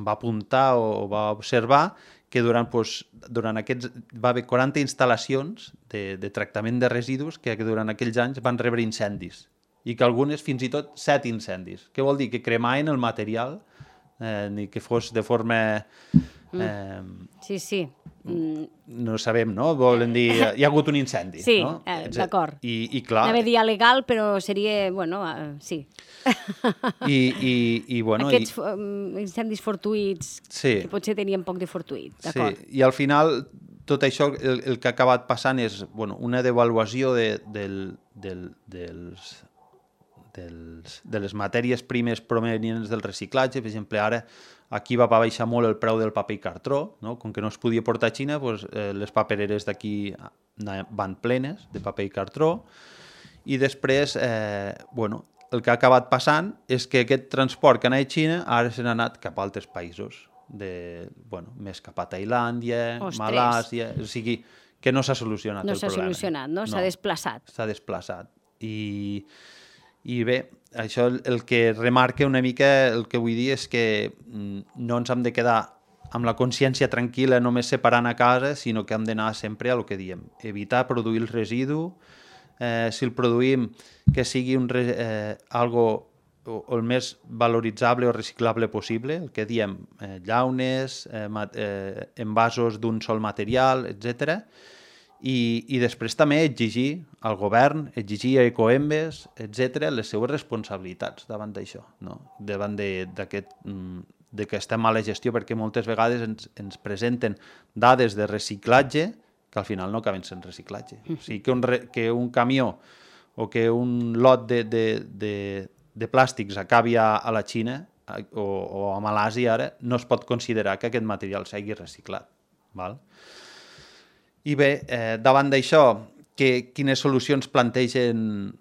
Speaker 7: apuntar o va observar que durant aquests va haver 40 instal·lacions de tractament de residus que durant aquells anys van rebre incendis i que algunes fins i tot 7 incendis. Què vol dir? Que cremaven el material ni que fos de forma...
Speaker 2: Sí.
Speaker 7: No sabem, no? Volen dir... Hi ha hagut un incendi,
Speaker 2: sí,
Speaker 7: no?
Speaker 2: D'acord.
Speaker 7: I clar...
Speaker 2: Anava a dir legal, però seria... sí. Aquests incendis fortuïts, que potser tenien poc de fortuït, d'acord.
Speaker 7: Sí, i al final tot això el que ha acabat passant és una devaluació de les matèries primes provenients del reciclatge. Per exemple, ara aquí va baixar molt el preu del paper i cartró, no? Com que no es podia portar a Xina, les papereres d'aquí van plenes de paper i cartró, i després el que ha acabat passant és que aquest transport que anava a Xina ara se n'ha anat cap a altres països, més cap a Tailàndia, Malàsia, o sigui que no s'ha solucionat el problema.
Speaker 2: No s'ha solucionat, no? S'ha desplaçat.
Speaker 7: S'ha desplaçat. I bé, això el que remarca una mica, el que vull dir és que no ens hem de quedar amb la consciència tranquil·la només separant a casa, sinó que hem d'anar sempre a el que diem, evitar produir el residu, si el produïm que sigui algo el més valoritzable o reciclable possible, el que diem, llaunes, envasos d'un sol material, etc. I després també exigir al govern, exigir a Ecoembes, etc., les seues responsabilitats davant d'això, no? Davant d'aquesta mala gestió, perquè moltes vegades ens presenten dades de reciclatge que al final no acaben sent reciclatge. O sigui, que un camió o que un lot de plàstics acabi a la Xina o a Malàsia ara, no es pot considerar que aquest material sigui reciclat. Val? I bé, davant d'això, quines solucions plantegen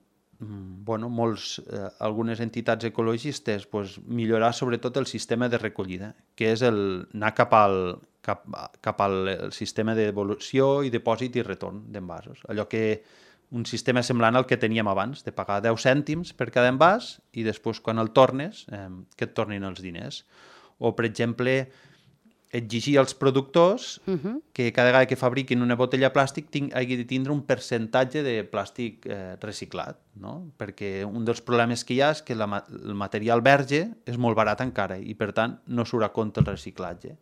Speaker 7: algunes entitats ecologistes? Millorar sobretot el sistema de recollida, que és anar cap al sistema de devolució i dipòsit i retorn d'envasos. Allò que un sistema semblant al que teníem abans, de pagar 10 cèntims per cada envàs i després quan el tornes, que et tornin els diners. O, per exemple, exigir als productors que cada vegada que fabriquin una botella de plàstic hagi de tindre un percentatge de plàstic reciclat, no? Perquè un dels problemes que hi ha és que el material verge és molt barat encara i, per tant, no surt a compte el reciclatge.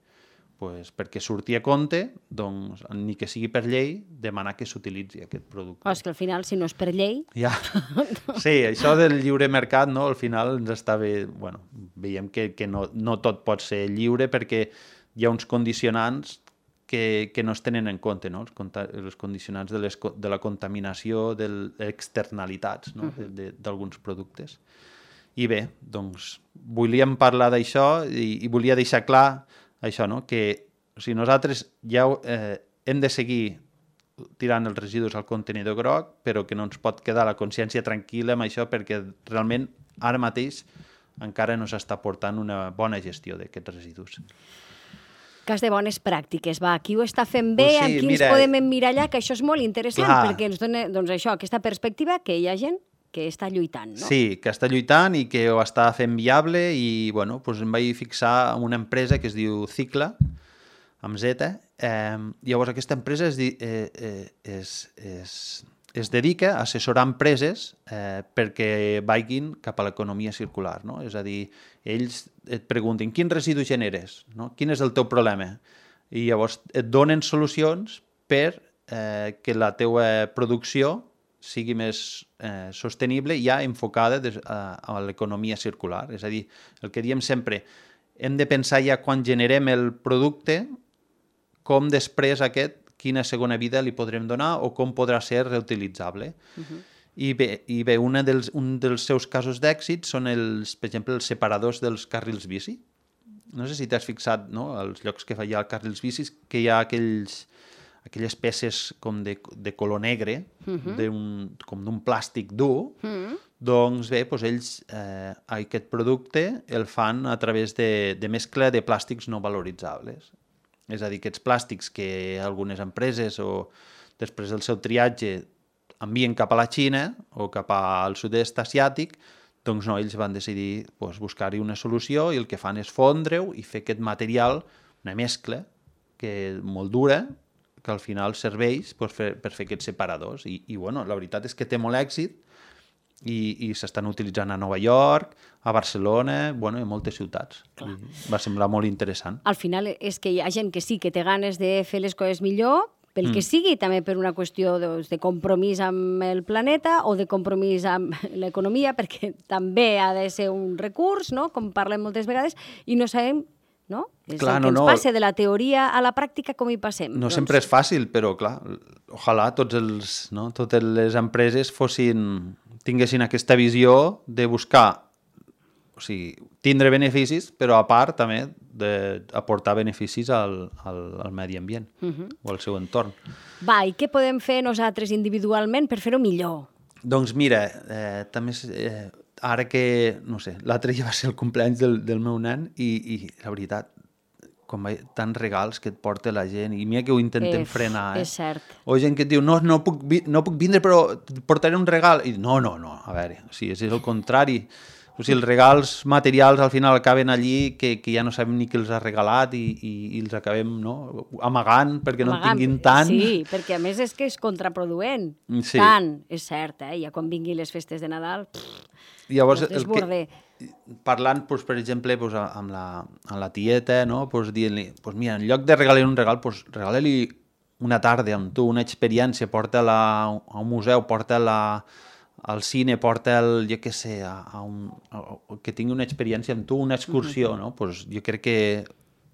Speaker 7: Pues perquè surti a compte, doncs, ni que sigui per llei, demanar que s'utilitzi aquest producte.
Speaker 2: És que al final, si no és per llei...
Speaker 7: Ja. Sí, això del lliure mercat, no? Al final ens està bé... Bueno, veiem que no tot pot ser lliure perquè hi ha uns condicionants que no es tenen en compte, no? Els condicionants de la contaminació, de les externalitats, no? D'alguns productes. I bé, doncs, volíem parlar d'això i volia deixar clar això, no? Que si nosaltres ja hem de seguir tirant els residus al contenidor groc, però que no ens pot quedar la consciència tranquil·la amb això perquè realment ara mateix encara no s'està portant una bona gestió d'aquests residus.
Speaker 2: Cas de bones pràctiques, va, qui ho està fent bé,
Speaker 7: Sí,
Speaker 2: amb qui ens podem emmirallar, que això és molt interessant, perquè ens dona, doncs això, aquesta perspectiva que hi ha gent que està lluitant, no?
Speaker 7: Sí, que està lluitant i que ho està fent viable i, bueno, doncs em vaig fixar en una empresa que es diu Cicla, amb Z. Llavors, aquesta empresa es dedica a assessorar empreses perquè vagin cap a l'economia circular, no? És a dir, ells et pregunten quin residu generes, no? Quin és el teu problema? I llavors et donen solucions per que la teua producció sigui més sostenible i ja enfocada a l'economia circular. És a dir, el que diem sempre, hem de pensar ja quan generem el producte com després quina segona vida li podrem donar o com podrà ser reutilitzable. I bé, un dels seus casos d'èxit són, per exemple, els separadors dels carrils bici. No sé si t'has fixat, no?, als llocs que hi ha carrils bicis, que hi ha aquelles peces com de color negre, com d'un plàstic dur, doncs bé, ells aquest producte el fan a través de mescla de plàstics no valoritzables. És a dir, aquests plàstics que algunes empreses o després del seu triatge envien cap a la Xina o cap al sud-est asiàtic, doncs no, ells van decidir buscar-hi una solució i el que fan és fondre-ho i fer aquest material, una mescla molt dura, que al final serveix per fer aquests separadors. I bueno, la veritat és que té molt èxit i s'estan utilitzant a Nova York, a Barcelona, bueno, i a moltes ciutats. Va semblar molt interessant.
Speaker 2: Al final és que hi ha gent que sí que té ganes de fer les coses millor, pel que sigui, també per una qüestió de compromís amb el planeta o de compromís amb l'economia, perquè també ha de ser un recurs, no?, com parlem moltes vegades, i no sabem, no? És clar, el que ens passa de la teoria a la pràctica, com hi passem.
Speaker 7: No sempre és fàcil, però clar, ojalà totes les empreses tinguessin aquesta visió de buscar, o sigui, tindre beneficis, però a part també d'aportar beneficis al medi ambient o al seu entorn.
Speaker 2: Va, i què podem fer nosaltres individualment per fer-ho millor?
Speaker 7: Doncs mira, també ara que, no sé, l'altre dia va ser el cumpleaños del meu nen i la veritat, tants regals que et porta la gent i mira que ho intentem frenar.
Speaker 2: És cert.
Speaker 7: O gent que et diu, no puc vindre però et portaré un regal. I no, a veure, o sigui, és el contrari. O sigui, els regals materials al final acaben allí que ja no sabem ni qui els ha regalat i els acabem amagant perquè no en tinguin tant.
Speaker 2: Sí, perquè a més és que és contraproduent. Tant, és cert, ja quan vinguin les festes de Nadal,
Speaker 7: llavors,
Speaker 2: desborde.
Speaker 7: Parlant, per exemple, amb la tieta, dient-li, mira, en lloc de regalar un regal, regala-li una tarda amb tu, una experiència, porta-la a un museu, porta-la al cine, porta'l, jo què sé, que tingui una experiència amb tu, una excursió, no? Jo crec que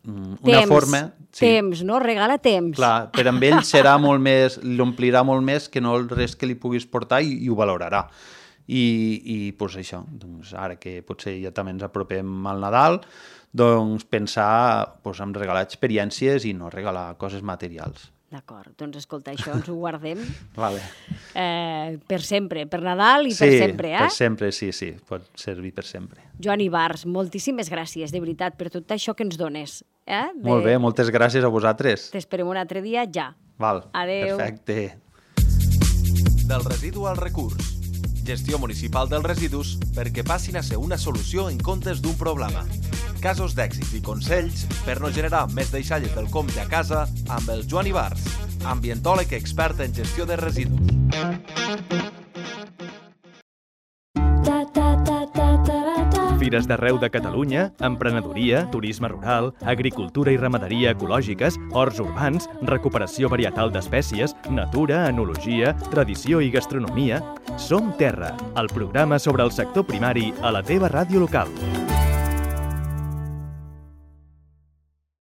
Speaker 7: una forma...
Speaker 2: Temps, no? Regala temps.
Speaker 7: Clar, per amb ell serà molt més, l'omplirà molt més que no el res que li puguis portar i ho valorarà. I això, doncs ara que potser ja també ens apropem al Nadal, doncs pensar en regalar experiències i no regalar coses materials.
Speaker 2: D'acord, doncs escolta, això ens ho guardem
Speaker 7: Vale.
Speaker 2: Per sempre, per Nadal i per sempre,
Speaker 7: per sempre, sí, pot servir per sempre.
Speaker 2: Joan Ibars, moltíssimes gràcies, de veritat, per tot això que ens dones.
Speaker 7: Molt bé, moltes gràcies a vosaltres.
Speaker 2: T'esperem un altre dia ja.
Speaker 7: Val,
Speaker 2: adeu.
Speaker 7: Perfecte.
Speaker 6: Del residu al recurs. Gestió municipal dels residus perquè passin a ser una solució en comptes d'un problema. Casos d'èxit i consells per no generar més deixalles del compte a casa amb el Joan Ibars, ambientòleg expert en gestió de residus.
Speaker 1: Fires d'arreu de Catalunya, emprenedoria, turisme rural, agricultura i ramaderia ecològiques, horts urbans, recuperació varietal d'espècies, natura, enologia, tradició i gastronomia. Som Terra, el programa sobre el sector primari a la teva ràdio local.